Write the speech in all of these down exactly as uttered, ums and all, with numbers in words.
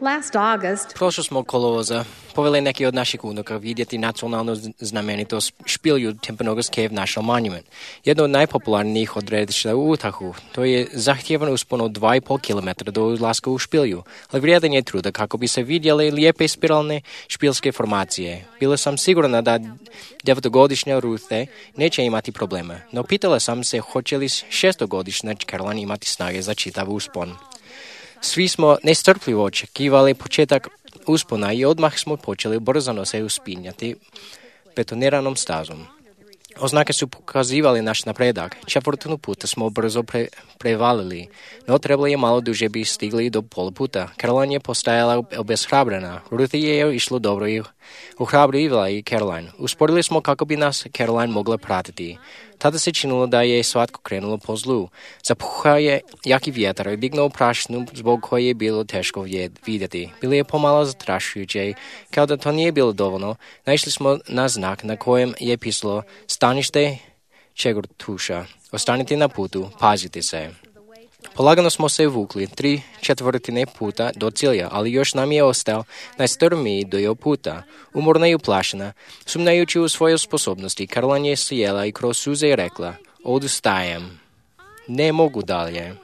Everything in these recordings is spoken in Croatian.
Last August, Prošlog kolovoza poveli neki od naših unuka vidjeti nacionalnu znamenitost špilju Timpanogorske v našem monument. Jedno od najpopularnijih odredišta u Utahu. To je zahtjevan uspon od dva i pol kilometra do ulaska u špilju, ali vrijedan je truda kako bi se vidjeli lijepe spiralne špilske formacije. Bila sam sigurna da devetogodišnja Ruthe neće imati problema, no pitala sam se hoće li šestogodišnja Caroline imati snage za čitav uspon. Svi smo nestrpljivo očekivali početak uspona i odmah smo počeli brzano se uspinjati betoniranom stazom. Oznake su pokazivali naš napredak. Četvrtinu puta smo brzo pre, prevalili, no trebalo je malo duže bi stigli do pola puta. Caroline je postajala obeshrabrena. Ruth je išlo dobro i ohrabrivala i Caroline. Usporili smo kako bi nas Caroline mogla pratiti. Tada se činilo da je svatko krenulo po zlu. Zapuhao je jaki vjetar i dignuo prašinu zbog koje je bilo teško vidjeti. Bilo je pomalo zastrašujuće. Kao da to nije bilo dovoljno, naišli smo na znak na kojem je pisalo stanište Čegortuša. Ostanite na putu, pazite se. Polagano smo se vukli tri četvrtine puta do cilja, ali još nam je ostao najstrmiji dio puta. Umorna i uplašena, sumnjajući u svoje sposobnosti, Caroline je sjela i kroz suze i rekla, odustajem. Ne mogu dalje.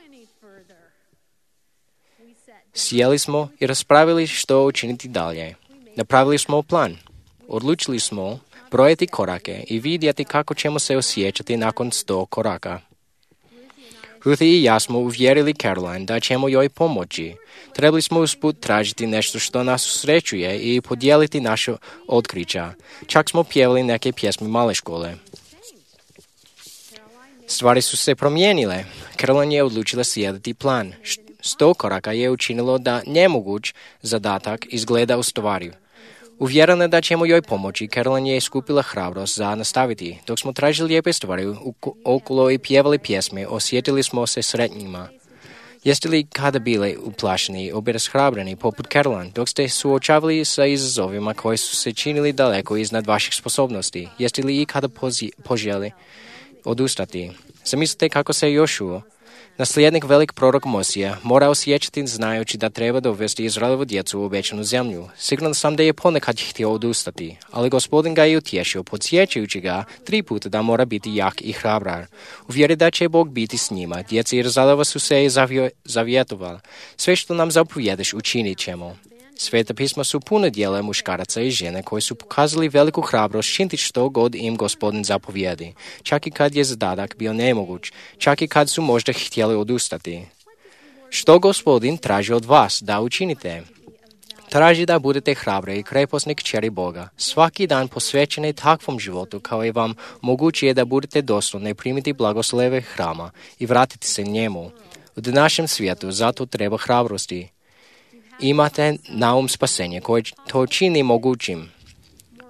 Sjeli smo i raspravili što učiniti dalje. Napravili smo plan. Odlučili smo brojati korake i vidjeti kako ćemo se osjećati nakon sto koraka. Ruth i ja smo uvjerili Caroline da ćemo joj pomoći. Trebali smo usput tražiti nešto što nas usrećuje i podijeliti naše otkrića. Čak smo pjevali neke pjesme male škole. Stvari su se promijenile. Caroline je odlučila slijediti plan. Sto koraka je učinilo da nemoguć zadatak izgleda ostvariv. Uvjerena da ćemo joj pomoći, Caroline je skupila hrabrost za nastaviti. Dok smo tražili lijepe stvari okolo i pjevali pjesme, osjetili smo se sretnjima. Jeste li kada bili uplašeni i obeshrabreni poput Caroline, dok ste suočavali sa izazovima koji su se činili daleko iznad vaših sposobnosti? Jeste li i kada pozi- poželi odustati? Zamislite kako se Jošuo, nasljednik velik prorok Mosija, mora osjećati znajući da treba dovesti Izraelovu djecu u obećanu zemlju. Siguran sam da je ponekad htio odustati, ali Gospodin ga je utješio, podsjećajući ga tri puta da mora biti jak i hrabrar. Uvjeri da će Bog biti s njima. Djeci Izraelova su se zavio, zavjetovala. Sve što nam zapovjedeš učinit ćemo. Sveta pisma su puno dijela muškaraca i žene koji su pokazali veliku hrabrost činiti što god im Gospodin zapovjedi, čak i kad je zadatak bio nemoguć, čak i kad su možda htjeli odustati. Što Gospodin traži od vas da učinite? Traži da budete hrabre i kreposni kćeri Boga, svaki dan posvećeni takvom životu kao i vam moguće da budete dostojni primiti blagoslove hrama i vratiti se njemu. U današnjem svijetu zato treba hrabrosti. Imate na um spasenje koje to čini mogućim.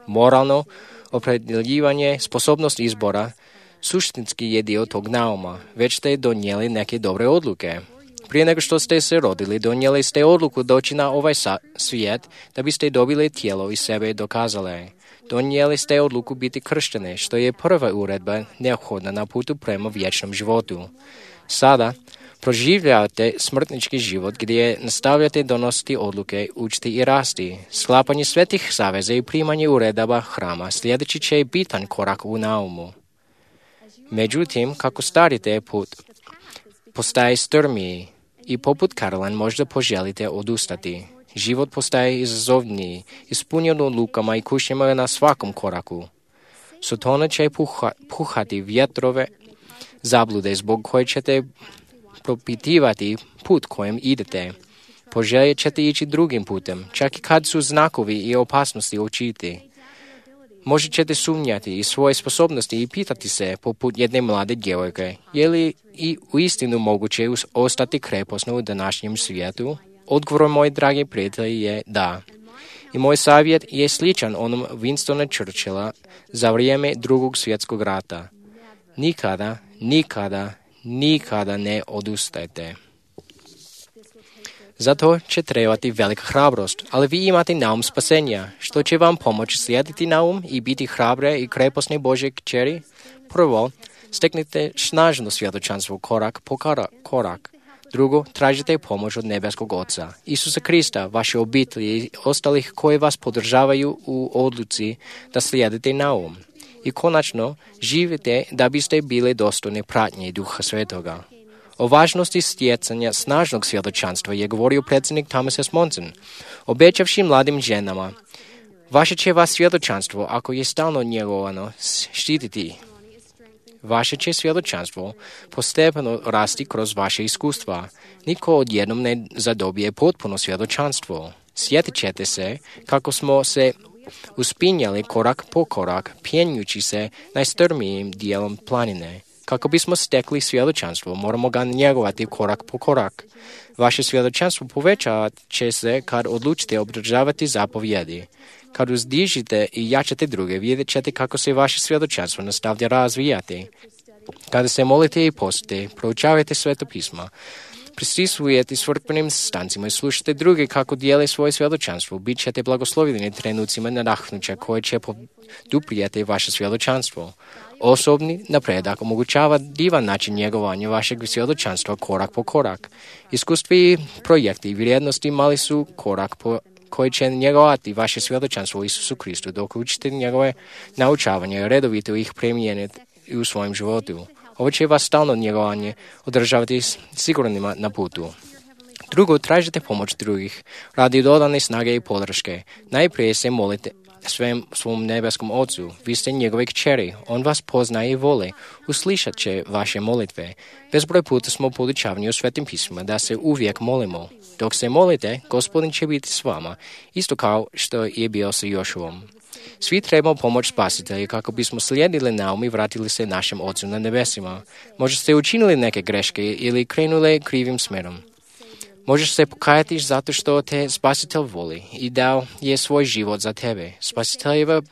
Moralno opredjeljivanje, sposobnost izbora, suštinski je dio tog nauma. Već ste donijeli neke dobre odluke. Prije nego što ste se rodili, donijeli ste odluku doći na ovaj svijet da biste dobili tijelo i sebe dokazale. Donijeli ste odluku biti krštene, što je prva uredba neophodna na putu prema vječnom životu. Sada proživljavate smrtnički život gdje nastavljate donositi odluke, učiti i rasti. Sklapanje svetih zaveza i primanje uredaba hrama sljedeći će bitan korak u naumu. Međutim, kako starite put postaje strmiji i poput Caroline možda poželite odustati. Život postaje izazovniji, ispunjen odlukama i kušnjama na svakom koraku. Sotona će puha, puhati vjetrove zablude zbog koje ćete propitivati put kojim idete. Poželjet ćete ići drugim putem, čak i kad su znakovi i opasnosti očiti. Možda ćete sumnjati i svoje sposobnosti i pitati se, poput jedne mlade djevojke, je li i uistinu moguće ostati kreposno u današnjem svijetu? Odgovor, moji dragi prijatelji, je da. I moj savjet je sličan onom Winstona Churchilla za vrijeme drugog svjetskog rata. Nikada, nikada, nikada ne odustajte. Zato će trebati velika hrabrost, ali vi imate naum spasenja, što će vam pomoći slijediti naum i biti hrabre i kreposne Božje kćeri. Prvo, steknite snažno svjedočanstvo korak po korak. Drugo, tražite pomoć od nebeskog Oca, Isusa Krista, vaše obitelji i ostalih koji vas podržavaju u odluci da slijedite Naum. I konačno, živite da biste bili dostojni pratnje Duha Svetoga. O važnosti stjecanja snažnog svjedočanstva je govorio predsjednik Thomas S. Monson, obećavši mladim ženama: vaše će vas svjedočanstvo, ako je stalno njegovano, štititi. Vaše će svjedočanstvo postepeno rasti kroz vaše iskustva. Niko odjednom ne zadobije potpuno svjedočanstvo. Sjetit ćete se kako smo se uspinjali korak po korak, pjenjući se najstrmijim dijelom planine. Kako bismo stekli svjedočanstvo, moramo ga njegovati korak po korak. Vaše svjedočanstvo povećat će se kad odlučite obdržavati zapovjedi. Kad uzdižite i jačate druge, vidjet ćete kako se vaše svjedočanstvo nastavlja razvijati. Kada se molite i postite, proučavajte Sveto pismo, prisustvujete crkvenim stancima i slušate druge kako dijele svoje svjedočanstvo, bit ćete blagoslovljeni trenucima nadahnuća koje će poduprijeti vaše svjedočanstvo. Osobni napredak omogućava divan način njegovanja vašeg svjedočanstva korak po korak. Iskustvi i projekti i vrijednosti mali su korak po koji će njegovati vaše svjedočanstvo u Isusu Kristu, dok učite njegove naučavanje i redovito ih primijeniti u svojem životu. Ovo će vas stalno njegovanje održavati sigurnima na putu. Drugo, tražite pomoć drugih radi dodane snage i podrške. Najprije se molite svem svom nebeskom Ocu. Vi ste njegove kćeri. On vas poznaje i voli. Uslišat će vaše molitve. Bezbroj puta smo podučavani u Svetim pismima da se uvijek molimo. Dok se molite, Gospodin će biti s vama, isto kao što je bio sa Jošuom. Svi trebamo pomoć Spasitelja kako bismo slijedili Naum i vratili se našem Ocu na nebesima. Možda ste učinili neke greške ili krenuli krivim smjerom. Možeš se pokajati zato što te Spasitelj voli i dao je svoj život za tebe. Spasiteljeva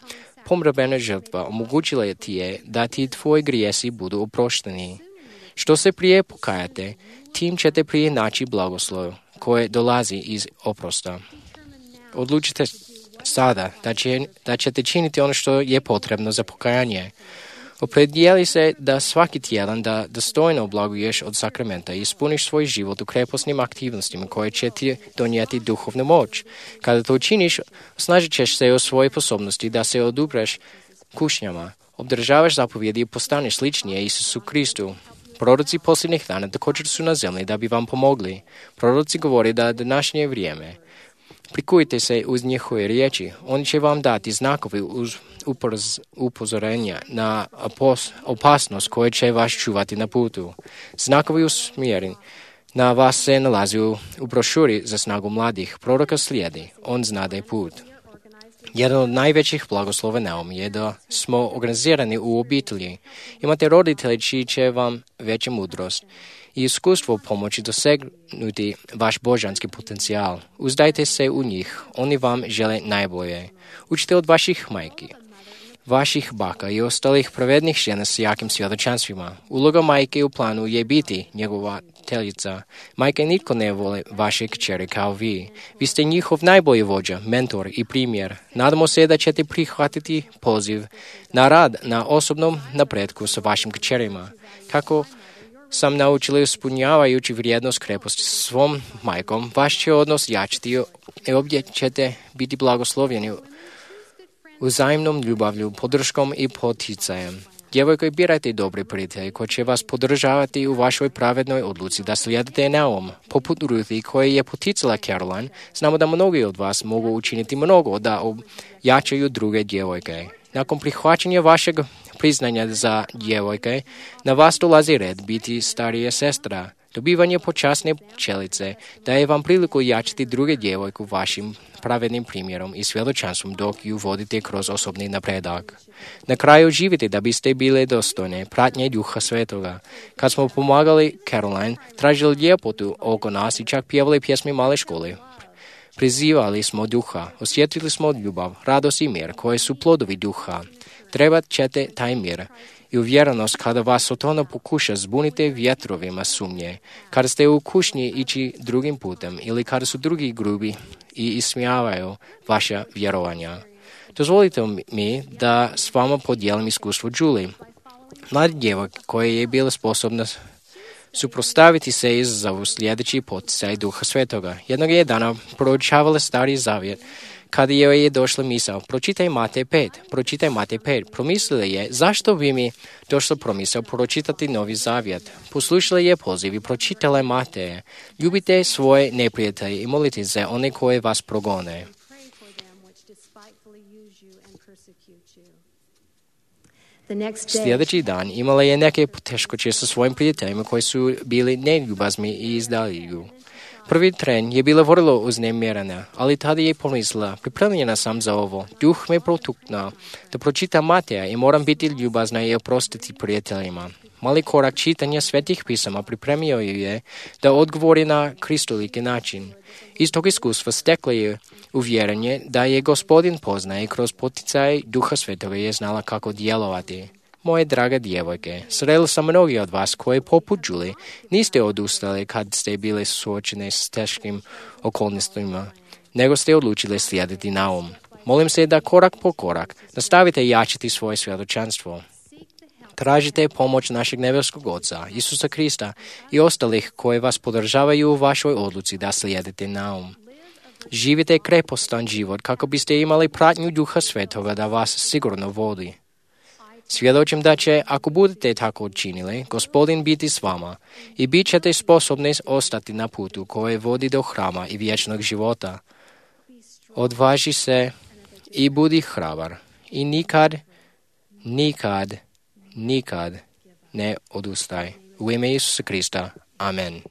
pomrabena žrtva omogućila ti je da ti tvoji grijesi budu oprošteni. Što se prije pokajate, tim ćete prije naći blagoslov koje dolazi iz oprosta. Odlučite sada da, će, da ćete činiti ono što je potrebno za pokajanje. Opredijeli se da svaki tjedan da dostojno oblaguješ od sakramenta i ispuniš svoj život u kreposnim aktivnostima koje će ti donijeti duhovnu moć. Kada to učiniš, osnažit ćeš se u svojoj sposobnosti da se odupreš kušnjama, obdržavaš zapovjedi i postaneš sličnije Isusu Kristu. Proroci posljednjih dana također su na zemlji da bi vam pomogli. Proroci govori da današnje vrijeme. Prikujte se uz njihove riječi. Oni će vam dati znakovi uz upozorenja na opasnost koje će vas čuvati na putu. Znakovi usmjereni na vas se nalazi u, u brošuri za snagu mladih. Proroka slijedi. On znade put. Jedan od najvećih blagoslova Naum je da smo organizirani u obitelji. Imate roditelji čiji će vam veća mudrost i iskustvo pomoći dosegnuti vaš božanski potencijal. Uzdajte se u njih, oni vam žele najbolje. Učite od vaših majki, vaših baka i ostalih pravednih žena s jakim svjedočanstvima. Uloga majke u planu je biti njegovateljica. Majke nitko ne vole vaše kćeri kao vi. Vi ste njihov najbolji vođa, mentor i primjer. Nadamo se da ćete prihvatiti poziv na rad na osobnom napretku sa vašim kćerima. Kako sam naučili ispunjavajući vrijednost kreposti svom majkom, vaš će odnos jačiti i obje ćete biti blagoslovljeni uzajemnom ljubavlju, podrškom i poticajem. Djevojko, birajte dobri prijatelji koji će vas podržavati u vašoj pravednoj odluci da slijedite Naum. Poput Ruthi koje je poticala Caroline, znamo da mnogi od vas mogu učiniti mnogo da jačaju druge djevojke. Nakon prihvaćanja vašeg priznanja za djevojke, na vas dolazi red biti starija sestra. Dobivanje počasne pčelice daje vam priliku jačati druge djevojku vašim pravednim primjerom i svjedočanstvom dok ju vodite kroz osobni napredak. Na kraju živite da biste bile dostojne pratnje Duha Svetoga. Kad smo pomagali Caroline, tražili ljepotu oko nas i čak pjevali pjesme male škole. Prizivali smo duha, osjetili smo ljubav, radost i mir koje su plodovi duha. Trebat ćete taj mir i uvjerenost kada vas Sotona pokuša zbunite vjetrovima sumnje, kada ste u kušnji ići drugim putem ili kada su drugi grubi i ismijavaju vaša vjerovanja. Dozvolite mi da s vama podijelim iskustvo Julie, mladi djevojka koja je bila sposobna suprotstaviti se izazovu sljedeći poticaj Duha Svetoga. Jednog je dana proučavala Stari Zavjet, kada joj je došla misao, pročitaj Matej pet, pročitaj Matej pet. Promislila je, zašto bi mi došla promisao pročitati Novi Zavjet? Poslušala je poziv i pročitala je Mateje. Ljubite svoje neprijatelje i molite za one koje vas progone. Sljedeći dan imala je neke poteškoće sa svojim prijateljima koji su bili neljubazni i izdali ju. Prvi tren je bila vrlo uznemirena, ali tada je pomislila, pripremljena sam za ovo. Duh me protuknuo da pročitam Mateja i moram biti ljubazna i oprostiti prijateljima. Mali korak čitanja svetih pisama pripremio ju je da odgovori na kristoliki način. Iz tog iskustva stekla je uvjerenje da je Gospodin poznaje i kroz poticaj Duha Svetoga je znala kako djelovati. Moje drage djevojke, srela sam mnogi od vas koji poput Julie niste odustali kad ste bili suočeni s teškim okolnostima, nego ste odlučili slijediti naum. Molim se da korak po korak nastavite jačiti svoje svjedočanstvo. Tražite pomoć našeg nebeskog Oca, Isusa Krista i ostalih koji vas podržavaju u vašoj odluci da slijedite naum. Živite krepostan život kako biste imali pratnju Duha Svetoga da vas sigurno vodi. Svjedočim da će, ako budete tako učinili, Gospodin biti s vama i bit ćete sposobni ostati na putu koji vodi do hrama i vječnog života. Odvaži se i budi hrabar i nikad, nikad, nikad ne odustaj. U ime Isusa Krista. Amen.